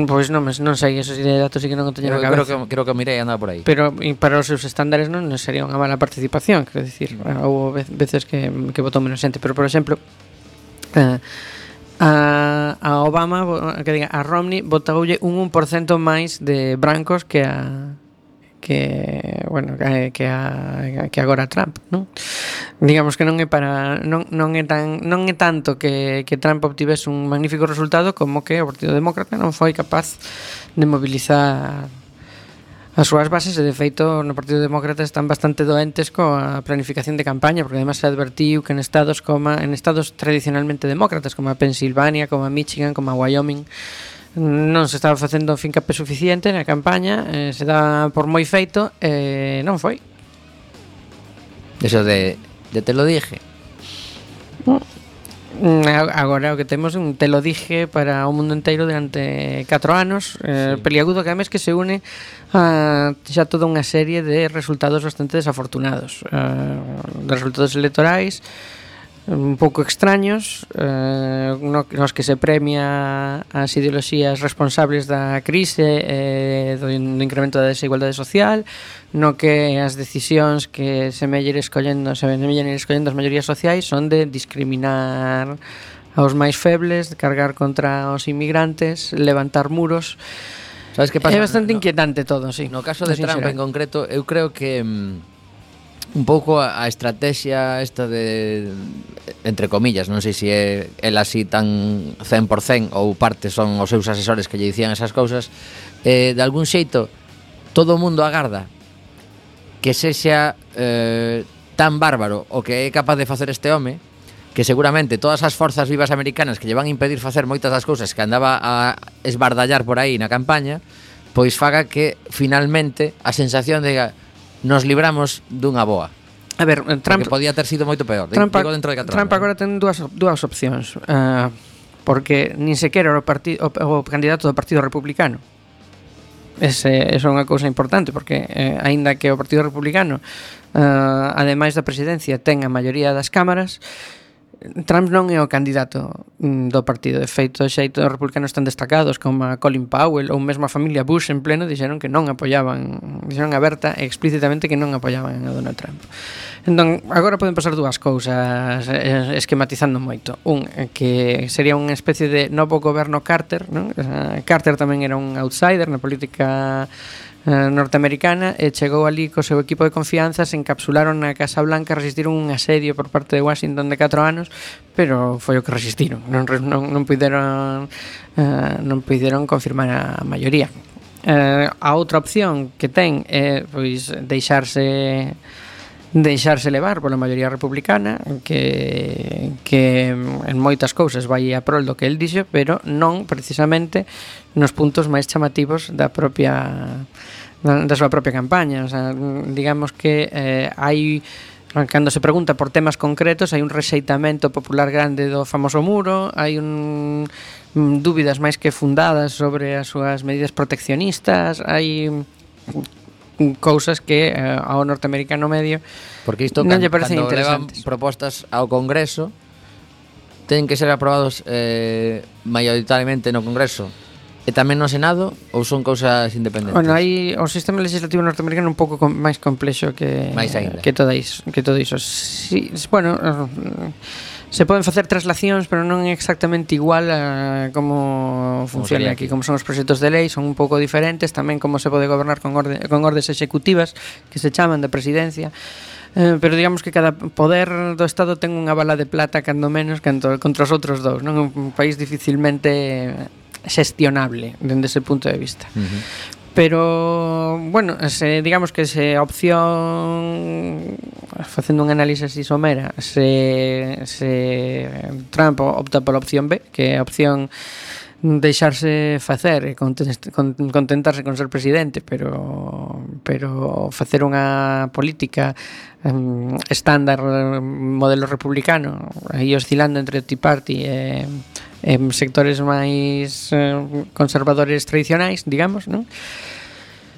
Pois non sei, esos datos sí que non o teño na cabeza. Creo que mirei andaba por aí. Pero para os seus estándares non sería unha mala participación, quero dicir, houve veces que votou menos xente, pero por exemplo, a Obama, a Romney votoulle un 1% máis de brancos que agora Trump, non? Digamos que non é tanto que Trump obtivese un magnífico resultado como que o Partido Demócrata non foi capaz de mobilizar as súas bases, e de feito no Partido Demócrata están bastante doentes coa planificación de campaña, porque además se advertiu que en estados tradicionalmente demócratas como a Pensilvania, como a Michigan, como a Wyoming, non se estaba facendo fincapé suficiente na campaña, se dá por moi feito, non foi. Eso de te lo dije. Agora o que temos un te lo dije para o mundo inteiro durante 4 anos, peliagudo que además que se une a xa toda unha serie de resultados bastante desafortunados, de resultados electorais un pouco extraños, nos que se premia as ideoloxías responsables da crise, do incremento da desigualdade social, no que as decisións que se melleren escollendo as maiorías sociais son de discriminar aos máis febles, de cargar contra os inmigrantes, levantar muros. Sabes que pasa? É bastante inquietante todo, sí. No caso de Trump en concreto, eu creo que un pouco a estrategia esta de, entre comillas, non sei se é el así tan 100% ou parte son os seus asesores que lle dicían esas cousas, de algún xeito todo o mundo agarda que sexa tan bárbaro o que é capaz de facer este home, que seguramente todas as forzas vivas americanas que lle van a impedir facer moitas das cousas que andaba a esbardallar por aí na campaña, pois faga que finalmente a sensación de nos libramos dunha boa. A ver, Trump porque podía ter sido moito peor. Trump dentro de 4 Trump agora ten dúas opcións, porque nin sequera o candidato do Partido Republicano. Esa é unha cousa importante, porque aínda que o Partido Republicano, ademais da presidencia, ten a maioría das cámaras, Trump non é o candidato do partido. De feito, os republicanos están destacados como a Colin Powell ou mesmo a familia Bush en pleno dixeron que non apoyaban, dixeron aberta e explícitamente que non apoyaban a Donald Trump. Entón, agora poden pasar dúas cousas esquematizando moito. Que sería unha especie de novo goberno Carter, non? Carter tamén era un outsider na política norteamericana e chegou ali co seu equipo de confianza, se encapsularon na Casa Blanca, resistiron un asedio por parte de Washington de 4 anos, pero foi o que resistiron, non puideron confirmar a maioría. A outra opción que ten é pois deixarse levar pola maioría republicana, que en moitas cousas vai a prol do que el dixo, pero non precisamente nos puntos máis chamativos da súa propia campaña. O sea, digamos que hai, cando se pregunta por temas concretos, hai un rexeitamento popular grande do famoso muro, hai dúbidas máis que fundadas sobre as súas medidas proteccionistas, hai cousas que ao norteamericano medio porque isto non lle parecen cando levan interesantes. propostas ao Congreso ten que ser aprobados maioritariamente no Congreso e tamén no Senado, ou son cousas independentes? Bueno, hai o sistema legislativo norteamericano un pouco máis complexo que todo iso. Sí, bueno, se poden facer traslacións, pero non é exactamente igual a como funciona aquí. Como son os proxectos de lei, son un pouco diferentes. Tamén como se pode gobernar con ordes executivas, que se chaman de presidencia. Pero digamos que cada poder do Estado ten unha bala de plata, cando menos, contra os outros dous. Non é un país dificilmente xestionable dende ese punto de vista. Pero, bueno, digamos que se opción, facendo un análisis así somera, se Trump opta pola opción B, que é a opción deixarse facer e contentarse con ser presidente, pero facer unha política estándar, modelo republicano, aí oscilando entre o Tea Party e sectores máis conservadores tradicionais, digamos, non?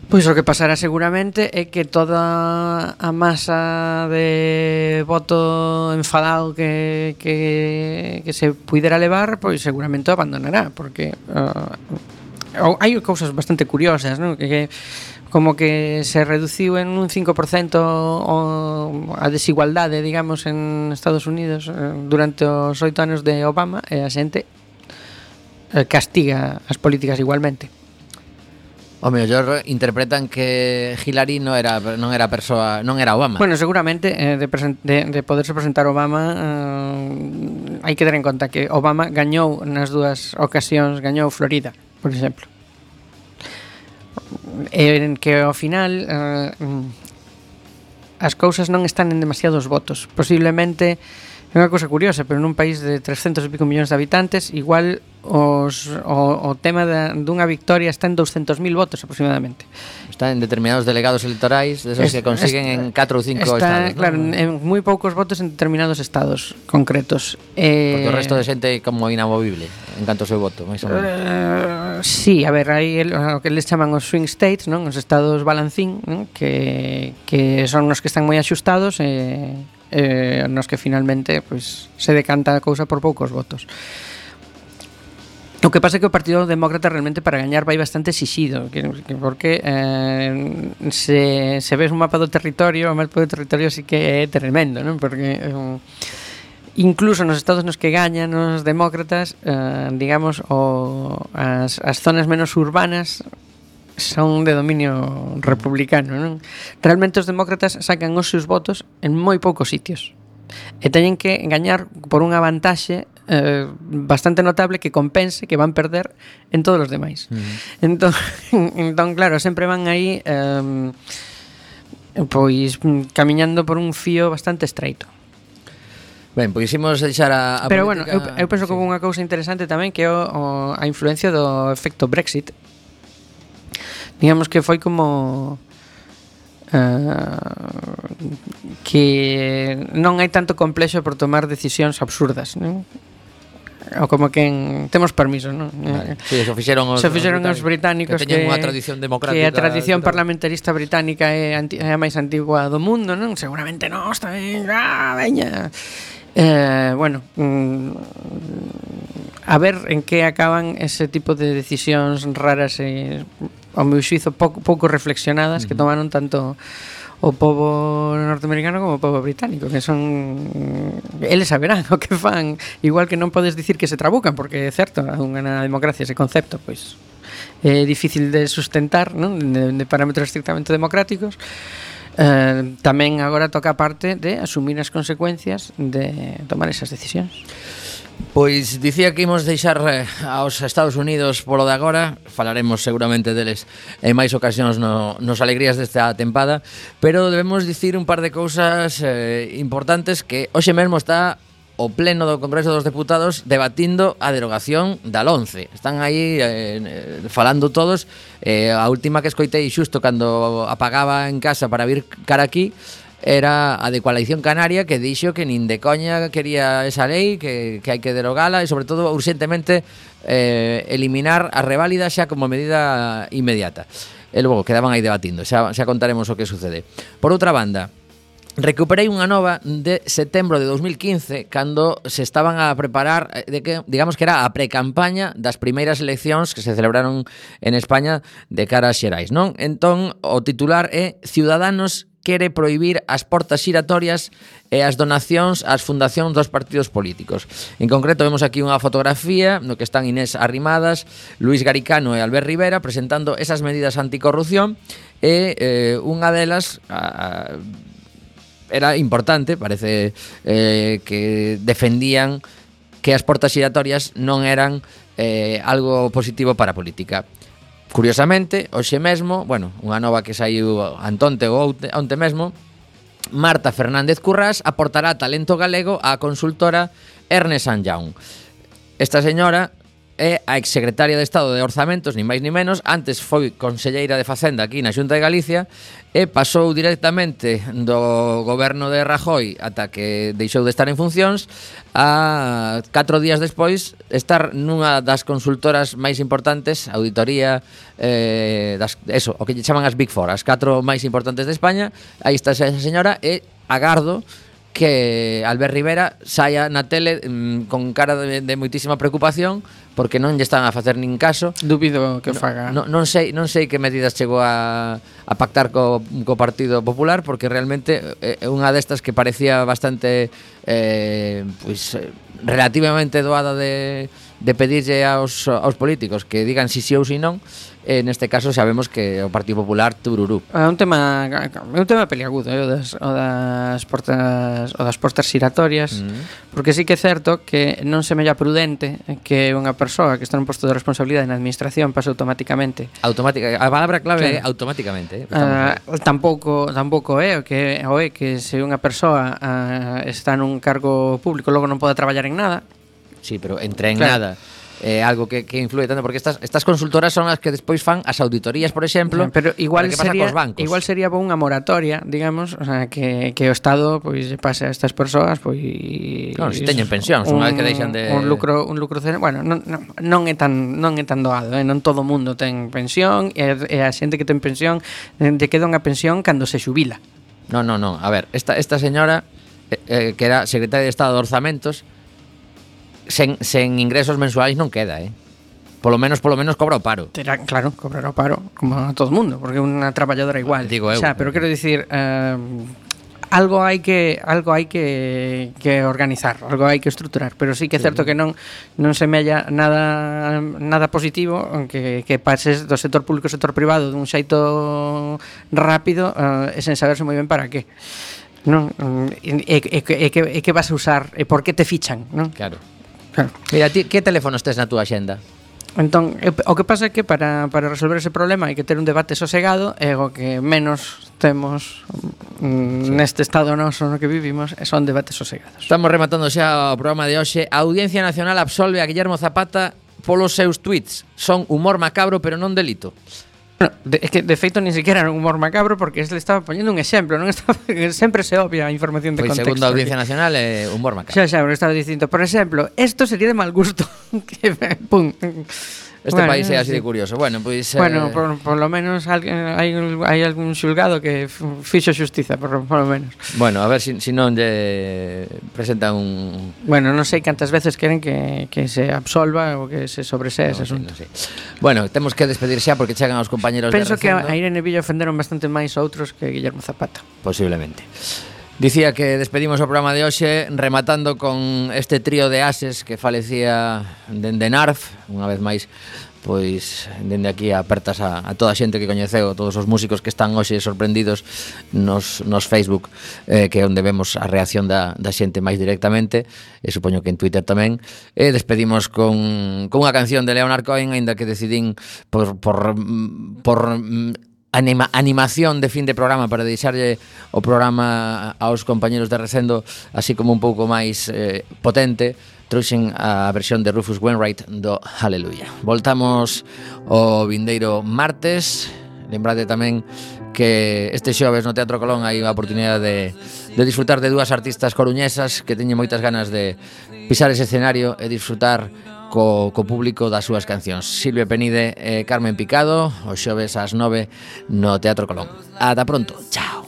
Pois o que pasará seguramente é que toda a masa de voto enfadado que se puidera levar, pois seguramente o abandonará, porque hai cousas bastante curiosas, non? Que como que se reduciu en un 5% a desigualdade, digamos, en Estados Unidos durante os 8 anos de Obama, e a xente castiga as políticas igualmente. O mellor interpretan que Hillary non era Obama. Bueno, seguramente de poderse presentar Obama, hai que ter en conta que Obama gañou nas dúas ocasións, gañou Florida, por exemplo. En que ao final as cousas non están en demasiados votos. Posiblemente é unha cousa curiosa, pero nun país de 300 e pico millóns de habitantes, igual o tema dunha victoria está en 200.000 votos aproximadamente. Está en determinados delegados electorais, desos que consiguen en 4 ou 5 estados, claro, ¿no? En moi poucos votos en determinados estados concretos. Porque o resto de xente é como inamovible en canto ao seu voto, máis ou menos. Sí, a ver, hai o que les chaman os swing states, non? Os estados balancín, non? Que son os que están moi axustados nos que finalmente pues, se decanta a cousa por poucos votos. O que pasa é que o Partido Demócrata realmente para gañar vai bastante exixido, porque se ves un mapa do territorio, o mapa do territorio sí que é tremendo, non? Porque incluso nos estados nos que gañan os demócratas, digamos, as zonas menos urbanas son de dominio republicano, non? Realmente os demócratas sacan os seus votos en moi poucos sitios e teñen que gañar por unha vantaxe bastante notable que compense que van perder en todos os demais. Entón, claro, sempre van aí pois camiñando por un fío bastante estreito. Ben, pois imos deixar a pero política... bueno, eu penso que unha cousa interesante tamén que é a influencia do efecto Brexit. Digamos que foi como que non hai tanto complexo por tomar decisións absurdas, non? Ou como que temos permiso, non? Vale. Sí, eso fixeron os británicos que teñen unha tradición democrática, que a tradición parlamentarista británica é a máis antigua do mundo, non? Seguramente nós tamén, veña. Bueno, a ver en que acaban ese tipo de decisións raras e ao meu xuízo pouco reflexionadas que tomaron tanto o pobo norteamericano como o pobo británico, que son eles saberán o que fan, igual que non podes dicir que se trabucan, porque é certo, na democracia ese concepto pois é difícil de sustentar, non? De parámetros estrictamente democráticos. Tamén agora toca a parte de asumir as consecuencias de tomar esas decisións. Pois dicía que imos deixar aos Estados Unidos polo de agora. Falaremos seguramente deles en máis ocasións nos alegrías desta tempada, pero debemos dicir un par de cousas importantes que hoxe mesmo está o pleno do Congreso dos Deputados debatindo a derogación da LOMCE. Están aí falando todos. A última que escoitei xusto cando apagaba en casa para vir cara aquí era a de Coalición Canaria, que dixo que nin de coña quería esa lei, que hai que derogala e sobre todo urgentemente eliminar a reválida xa como medida inmediata. E logo quedaban aí debatindo, xa contaremos o que sucede. Por outra banda, recuperei unha nova de setembro de 2015 cando se estaban a preparar digamos que era a precampaña das primeiras eleccións que se celebraron en España de cara a xerais, non? Entón, o titular é Ciudadanos quere prohibir as portas xiratorias e as donacións ás fundacións dos partidos políticos. En concreto, vemos aquí unha fotografía no que están Inés Arrimadas, Luis Garicano e Albert Rivera presentando esas medidas anticorrupción e unha delas era importante, parece que defendían que as portas xiratorias non eran algo positivo para a política. Curiosamente, hoxe mesmo, bueno, unha nova que saiu antonte ou onte mesmo, Marta Fernández Currás aportará talento galego á consultora Ernst & Young. Esta señora é a exsecretaria de Estado de Orzamentos, ni máis ni menos, antes foi conselleira de Facenda aquí na Xunta de Galicia e pasou directamente do goberno de Rajoy ata que deixou de estar en funcións a 4 días despois estar nunha das consultoras máis importantes, auditoría o que lle chaman as Big Four, as 4 máis importantes de España. Aí está esa señora e agardo que Albert Rivera saia na tele con cara de moitísima preocupación porque non lle están a facer nin caso. Dubido que faga. Non sei que medidas chegou a pactar co Partido Popular, porque realmente é unha destas que parecía bastante relativamente doada de pedirlle aos políticos que digan si sí ou si non. Neste caso sabemos que o Partido Popular tururú. É un tema peliagudo, o das portas xiratorias, porque sí que é certo que non se mella prudente que unha persoa que está nun posto de responsabilidade na administración pase automáticamente. A palabra clave é automáticamente. Tampouco é que se unha persoa está nun cargo público logo non pode traballar en nada. Sí, pero entre en nada algo que influye tanto, porque estas consultoras son as que despois fan as auditorías, por exemplo. Pero igual sería unha moratoria, digamos, o sea, que o Estado pois pase a estas persoas, pois non, se teñen pensións, unha vez que deixan de un lucro, bueno, non é tan doado, non todo o mundo ten pensión e a xente que ten pensión lle queda unha pensión cando se xubila. Non, a ver, esta señora que era secretaria de Estado de Orzamentos sen ingresos mensuais non queda, Polo menos cobra o paro. Claro, cobrar o paro como a todo mundo, porque é unha traballadora igual. Digo eu. Pero quero dicir, algo hai que organizar, algo hai que estruturar, pero sí que é certo que non semella nada positivo que pases do sector público ao sector privado dun xeito rápido e sen saberse moi ben para qué. Non, e que vas a usar e por que te fichan, non? Claro. Mira, ti que teléfonos tes na túa axenda? Entón, o que pasa é que para resolver ese problema hai que ter un debate sosegado e o que menos temos neste estado noso no que vivimos son debates sosegados. Estamos rematando xa o programa de hoxe. A Audiencia Nacional absolve a Guillermo Zapata polos seus tweets. Son humor macabro pero non delito. Bueno, é que de feito nin sequera era un humor macabro porque le estaba poñendo un exemplo, non estaba, sempre se obvia a información de contexto. Segundo a Audiencia Nacional é humor macabro. Xa, porque estaba dicindo, por exemplo, esto sería de mal gusto. Que pum. País é así de curioso. Bueno, pois por lo menos hai algún xulgado que fixo xustiza, por lo menos. Bueno, a ver si non lle presenta un... Bueno, non sei cantas veces queren que se absolva ou que se sobresee ese asunto. No sei. Bueno, temos que despedir xa porque chegan os compañeros de Recendo. Penso que a Irene Villa ofenderon bastante máis outros que Guillermo Zapata. Posiblemente. Dicía que despedimos o programa de hoxe rematando con este trío de ases que falecía dende Narf, unha vez máis, pois dende aquí apertas a toda a xente que coñeceu, todos os músicos que están hoxe sorprendidos nos Facebook, que é onde vemos a reacción da xente máis directamente, e supoño que en Twitter tamén. E despedimos con unha canción de Leonard Cohen, aínda que decidín por animación de fin de programa para deixarlle o programa aos compañeros de Recendo así como un pouco máis potente, trouxen a versión de Rufus Wainwright do Hallelujah. Voltamos o vindeiro martes. Lembrade tamén que este xoves no Teatro Colón hai a oportunidade de disfrutar de dúas artistas coruñesas que teñen moitas ganas de pisar ese escenario e disfrutar co público das súas cancións. Silvia Penide e Carmen Picado, os xoves ás 9 no Teatro Colón. Ata pronto, chao.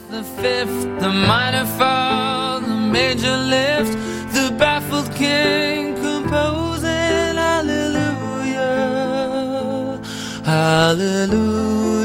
The fifth, the minor fall, the major lift, the baffled king composing hallelujah, hallelujah.